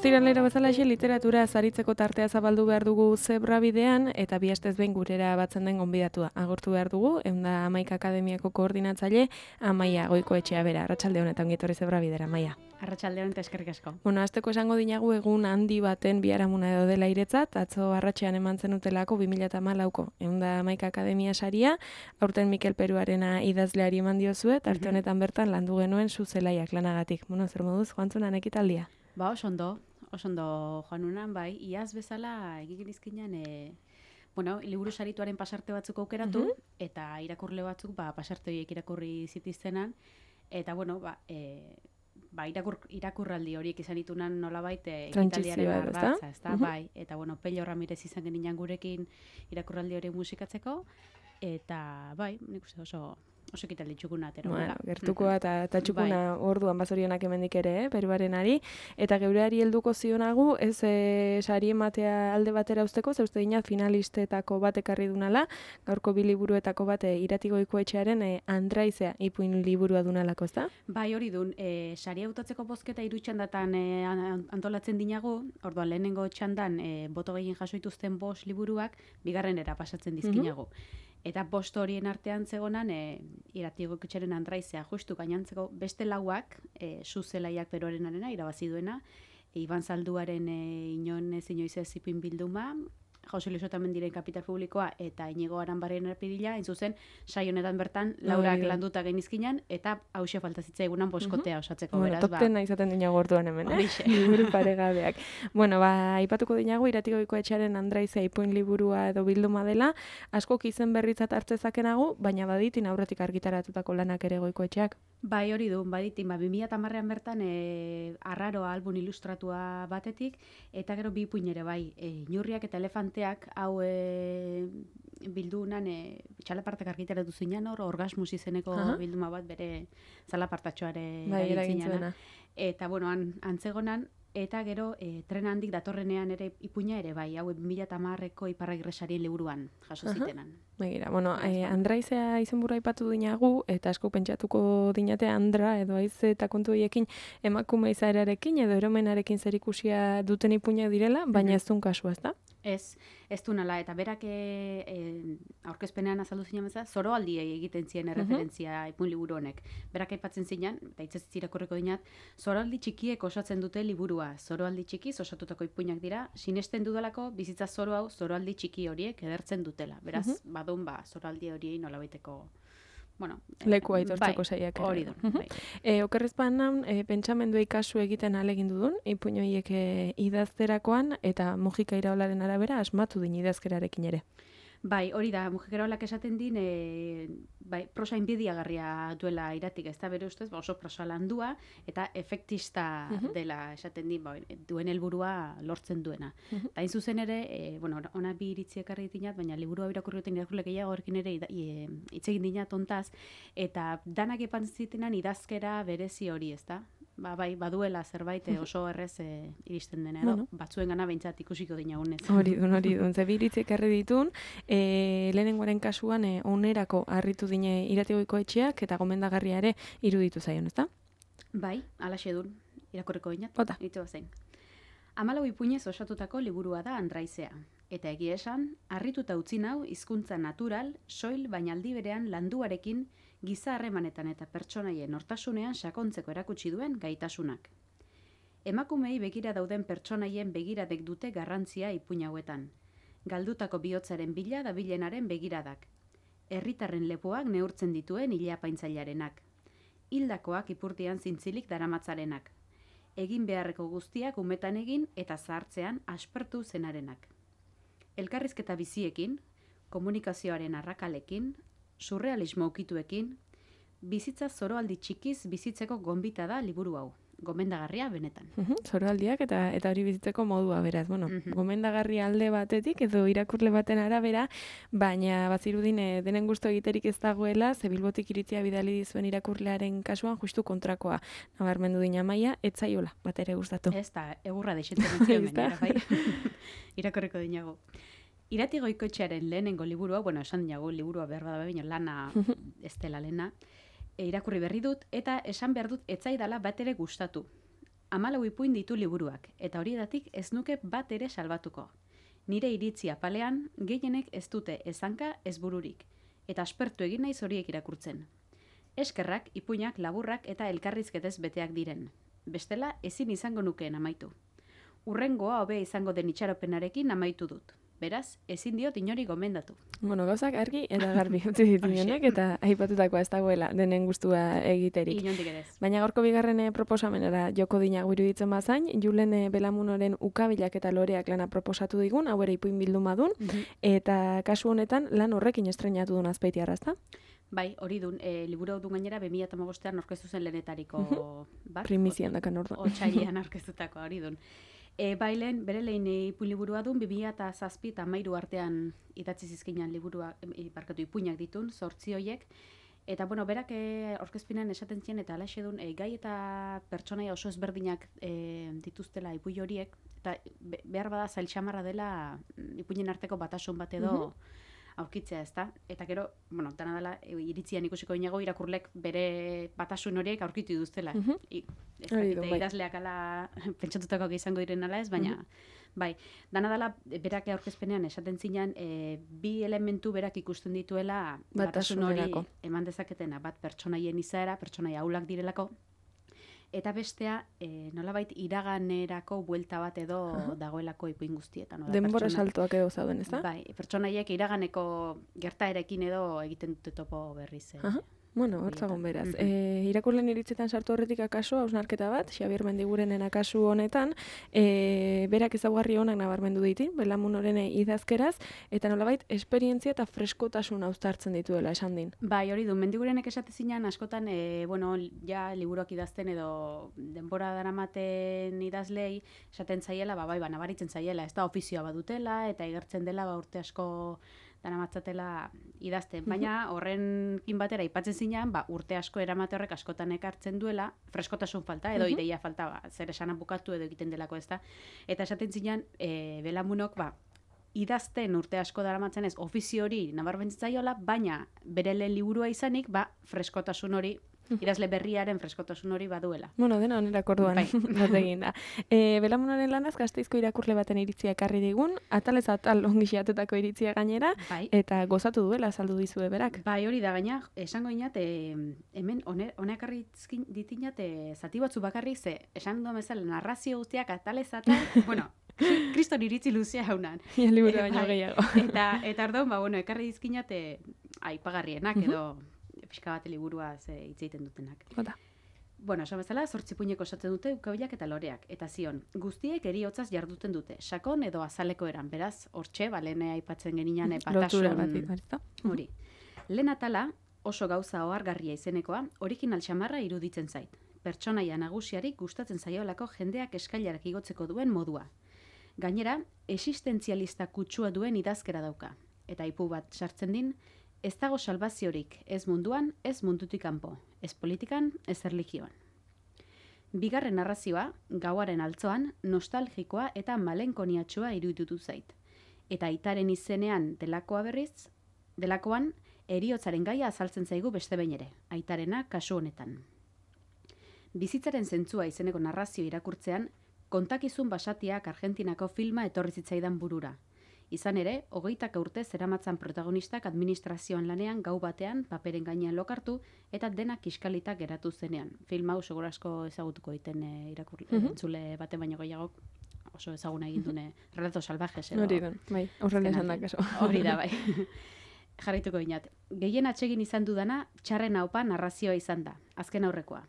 Ostiralero bezalaxe literatura zaritzeko tartea zabaldu behar dugu Zebra bidean eta bi astez behin gurera batzen den gonbidatua. Agortu behar dugu, 111 Akademiako koordinatzaile Amaia Goikoetxea bera. Arratsalde honetan ongi etorri Zebra bidera, Amaia. Arratsalde honetan eskerrik asko. Bueno, hasteko esango dinagu egun handi baten biharamuna edo dela iretzat, atzo arratsean eman zenutelako 2014ko 111 Akademia saria, aurten Mikel Peruarena idazleari eman diozue, tarte honetan bertan landu genuen Zuzelaiak lanagatik. Bueno, zer moduz joantzunan ekitaldia? Ba, oso ondo joan unan, bai, iaz bezala egin izkinan, liburu sarituaren pasarte batzuk aukeratu, eta irakurle batzuk, pasarte horiek irakurri zitiztenan, eta, irakurraldi horiek izan ditunan nolabait ekitaldiaren ardatza, ezta? Bai, eta, Pello Ramirez izan geninen gurekin irakurraldi hori musikatzeko, eta, bai, nik uste oso ekitaldi txukuna atero. Gertukoa eta txukuna orduan bazorionak hemendik ere, Peruarenari, eta geureari helduko zionagu, ez sari ematea alde batera usteko, ze uste dinat finalistetako bat ekarri dunala, gaurko bi liburuetako bat Irati Goikoetxearen Andraizea ipuin liburua dunalako, ezta? Bai, hori dun, sari hautatzeko bozketa 3 txandatan antolatzen dinagu, orduan lehenengo txandan boto gehien jasoituzten 5 liburuak, bigarrenera pasatzen dizkinagu. Eta 5 horien artean zegonan, Irati Goikoetxearen Andraizea, justu gainantzeko beste lauak, Zuzelaiak Peruarenarena irabazi duena, Iban Zalduaren inoiz ez ipuin bilduma, Jose Luis Otamendiren Kapital Publikoa eta Inigo Aranbarren Erpidila, hain zuzen, saio honetan bertan laurak landuta genizkinan, eta hause falta zitzaigunan boskotea osatzeko, beraz. Top 10 izaten dinago orduan hemen, liburu paregabeak. Aipatuko dinago, Irati Goikoetxearen Andraizea ipuin liburua edo bilduma dela, askok izen berritzat hartzezakenago, baina baditin aurretik argitaratutako lanak ere Goikoetxeak. Bai, hori du, baditin, 2010 bertan Arraroa album ilustratua batetik, eta gero bi ipuin ere bai, Inurriak eta Elefanteak, hau bildunan txalapartak argitaratu zinan, Orgasmus izeneko bilduma bat bere zalapartatxoare eragintzina. Eta, antzegonan, eta gero tren handik datorrenean ere ipuina ere bai, hau 2010ko Iparragirre sarien liburuan jaso zitenan. Begira, Andraizea izenburua aipatu dinagu, eta asko pentsatuko dinate Andra edo haize eta kontu horiekin emakume izaerarekin edo eromenarekin zerikusia duten ipuinak direla, baina ez dun kasua, ezta? Ez du nala, eta berak aurkezpenean azaldu zinan bezala, zoroaldiei egiten zien referentzia ipuin liburu honek. Berak aipatzen zinan, eta hitzez irakurriko dinat, zoroaldi txikiek osatzen dute liburua. Zoroaldi txikiz osatutako ipuinak dira, sinesten dudalako bizitza zoro hau zoroaldi txiki horiek edertzen dutela. Beraz, badun zoroaldi horiei nolabaiteko leku aitortzeko saiak. Hori du. Okerrezpan pentsamenduei kasu egiten alegin dudun, ipuin horiek idazterakoan, eta Mujika Iraolaren arabera asmatu din idazkerarekin ere. Bai, hori da, Mujika Iraolak esaten din, prosa inbidiagarria duela Iratik, ez da bere ustez, oso prosa landua, eta efektista dela esaten din, duen helburua lortzen duena. Eta hain zuzen ere, ona bi iritzi ekarri dinat, baina liburua irakurrioten irakurle gehiago horrekin ere hitz egin dinat ontaz, eta danak epan zitenan idazkera berezi hori, ez da? Baduela zerbait oso errez iristen dena edo, batzuen gana behintzat ikusiko dinagunez. Hori dun, ze bi iritzi ekarri ditun, lehenengoaren kasuan onerako harritu dine Irati Goikoetxeak eta gomendagarria ere iruditu zaion, ezta? Bai, alaxe dun, irakurriko dinat. Ota. 14 ipuinez osatutako liburua da Andraizea. Eta egia esan, harrituta utzi nau hizkuntza natural, soil baina aldi berean landuarekin giza harremanetan eta pertsonaien nortasunean sakontzeko erakutsi duen gaitasunak. Emakumei begira dauden pertsonaien begiradek dute garrantzia ipuin hauetan. Galdutako bihotzaren bila dabilenaren begiradak. Herritarren lepoak neurtzen dituen ilapaintzailarenak. Hildakoak ipurtian zintzilik daramatzarenak. Egin beharreko guztiak umetan egin eta zahartzean aspertu zenarenak. Elkarrizketa biziekin, komunikazioaren arrakalekin, surrealismo ukituekin, bizitza zoroaldi txikiz bizitzeko gonbita da liburu hau. gomendagarria benetan. Zoroaldiak eta hori bizitzeko modua beraz. Bueno, gomendagarria alde batetik edo irakurle baten arabera, baina bazirudin denen gustu egiterik ez dagoela, ze Bilbotik iritzia bidali dizuen irakurlearen kasuan justu kontrakoa nabarmendu dina Amaia, ez zaiola batere gustatu. Ez da, egurra deixetzen zion gainera, bai. Irakorreko dinago. Irati Goikoetxearen lehenengo liburua, bueno, esan dinago liburua behar bada baina lana ez dela lehena, irakurri berri dut, eta esan behar dut etzaidala bat ere gustatu. 14 ipuin ditu liburuak, eta horietatik ez nuke bat ere salbatuko. Nire iritzi apalean, gehienek ez dute ezanka ez bururik, eta aspertu egin naiz horiek irakurtzen. Eskerrak, ipuinak, laburrak eta elkarrizketez beteak diren. Bestela, ezin izango nukeen amaitu. Urrengoa hobea izango den itxaropenarekin amaitu dut. Beraz, ezin diot inori gomendatu. Bueno, gauzak argi eta garbi utzi dituenek eta aipatutakoa ez dagoela denen gustua egiterik. Inondik ere ez. Baina gaurko bigarren proposamenera joko dinago iruditzen bazain, Julen Belamunoren ukabilak eta loreak lana proposatu digun, hau ere ipuin bilduma dun, eta kasu honetan lan horrekin estrenatu dun Azpeitiarra, ezta? Bai, hori dun, liburu dun gainera 2015an aurkeztu zen lehenetariko bat. Primizian dakan orduan. Otsailean aurkeztutako hori dun. Bailen, bere lehen ipuin liburua dun, 2007 eta 2013 artean idatzi zizkinan liburua, ipuinak ditun, 8 hoiek. Eta, bueno, berak aurkezpinan esaten zien, eta alaxe dun, gai eta pertsonaia oso ezberdinak dituztela ipuin horiek, eta behar bada zailtxamarra dela ipuinen arteko batasun bat edo aurkitzea, ezta? Eta gero, bueno, dana dela, iritzian ikusiko inago, irakurlek bere batasun horiek aurkitu duztela. Idazleak ala pentsatutako izango diren ala ez, baina, bai, dana dela, berak aurkezpenean esaten zinan, bi elementu berak ikusten dituela batasun hori eman dezaketena, bat pertsonaien izaera, pertsonaia aulak direlako, eta bestea, nolabait iraganerako buelta bat edo dagoelako ipuin guztietan. Denbora saltoak edo zauden, ez da? Bai, pertsonaiek iraganeko gertaerekin edo egiten dute topo berriz. Bueno, hortzagon beraz. Irakurleen iritzetan sartu horretik akaso, hausnarketa bat, Xabier Mendigurenen akasu honetan, berak ezaugarri honak nabarmendu ditin, Belamunoren idazkeraz, eta nolabait esperientzia eta freskotasun uztartzen dituela esan din. Bai, hori du, Mendigurenek esate zinan askotan, bueno, ja liburuak idazten edo denbora daramaten idazlei esaten zaiela, bai, nabaritzen zaiela, ez da ofizioa badutela, eta igertzen dela urte asko daramatzatela idazten, baina horrenkin batera aipatzen zinan, urte asko eramate horrek askotan ekartzen duela, freskotasun falta, edo ideia falta, zer esana bukatu edo egiten delako ez da. Eta esaten zinan, Belamunok, idazten urte asko daramatzen ez, ofizio hori nabarmentzen zaiola, baina bere lehen liburua izanik, freskotasun hori, idazle berriaren freskotasun hori baduela. Bueno, dena onerako orduan bat egin da. Belamunoren lanaz, Gasteizko irakurle baten iritzia ekarri digun, atalez atal ongi xeatutako iritzia gainera, eta gozatu duela azaldu dizue berak. Bai, hori da, gaina, esango inat, hemen honek arri ditinat, zati batzu bakarrik, ze, esan duan bezala, narrazio guztiak atalez atal, bueno, kriston iritzi luzea haunan. Liburu baino gehiago. Eta orduan, bueno, ekarri dizkinat, aipagarrienak edo, pixka bat liburua hitz egiten dutenak. Bueno, esan bezala, 8 ipuineko osatzen dute ukabilak eta loreak. Eta zion, guztiek eriotzaz jarduten dute, sakon edo azaleko eran. Beraz, hortxe, lehen aipatzen geninan batasun hori. Lehen atala, oso gauza ohargarria izenekoa, original xamarra iruditzen zait. Pertsonaia nagusiari gustatzen zaiolako jendeak eskailarak igotzeko duen modua. Gainera, existentzialista kutsua duen idazkera dauka. Eta ipu bat sartzen din, ez dago salbaziorik, ez munduan, ez mundutik kanpo, ez politikan, ez erlijioan. Bigarren narrazioa, gauaren altzoan, nostalgikoa eta malenkoniatxoa iruditu zait. Eta aitaren izenean delakoan, heriotzaren gaia azaltzen zaigu beste behin ere, aitarena kasu honetan. Bizitzaren zentzua izeneko narrazio irakurtzean, kontakizun basatiak Argentinako filma etorri zitzaidan burura. Izan ere, 20 urte zeramatzan protagonistak administrazioan lanean gau batean paperen gainean lokartu eta denak kiskalitak geratu zenean. Film hau segura asko ezagutuko egiten entzule baten baino gehiago oso ezaguna egin dune Relato Salvajes edo. Hori da, bai, horrela esan da kaso. Hori da, bai. Jarraituko inat. Gehien atsegin izan dudana txarren haupa narrazioa izan da, azken aurrekoa.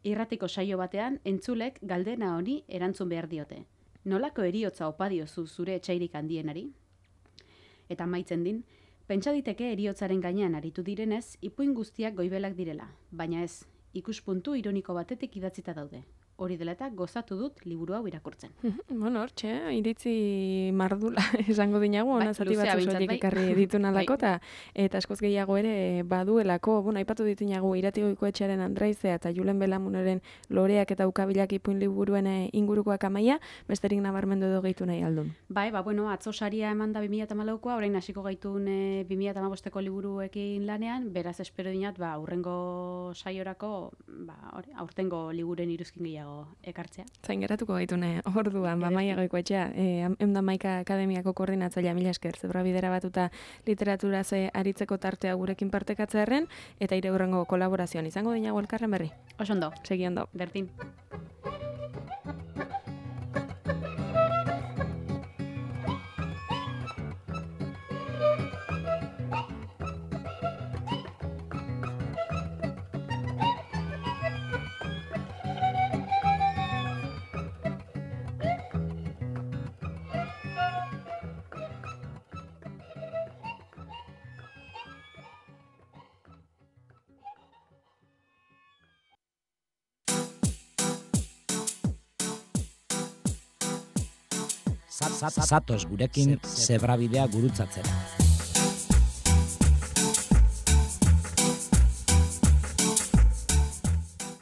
Irratiko saio batean entzulek galdena honi erantzun behar diote. Nolako heriotza opa diozu zure etxairik handienari? Eta amaitzen din, pentsa diteke heriotzaren gainean aritu direnez, ipuin guztiak goibelak direla, baina ez, ikuspuntu ironiko batetik idatzita daude. Hori dela eta gozatu dut liburu hau irakurtzen. Bueno, hortxe, iritzi mardula esango dinagu, ona zati batzu soilik ekarri ditun alako, eta askoz gehiago ere baduelako, aipatu ditinagu Iratigoiko Etxearen Andraizea eta Julen Belamuneren Loreak eta Ukabilak ipuin liburuen ingurukoak amaia, besterik nabarmendu edo gehitu nahi aldun. Bai, atzo saria eman da 2014koa, orain hasiko gaitun 2015ko liburuekin lanean, beraz espero dinat, aurrengo saiorako, aurtengo liburen iruzkin gehiago ekartzea. Zain geratuko gaitune, orduan, Maia Goikoetxea, Maika Akademiako koordinatzailea, mila esker, Zebrabidera batuta literatura aritzeko tartea gurekin partekatzearen, eta ire hurrengo kolaborazioan izango dinago elkarren berri. Oso ondo. Segi ondo. Berdin. Zatoz gurekin Zebrabidea gurutzatzera.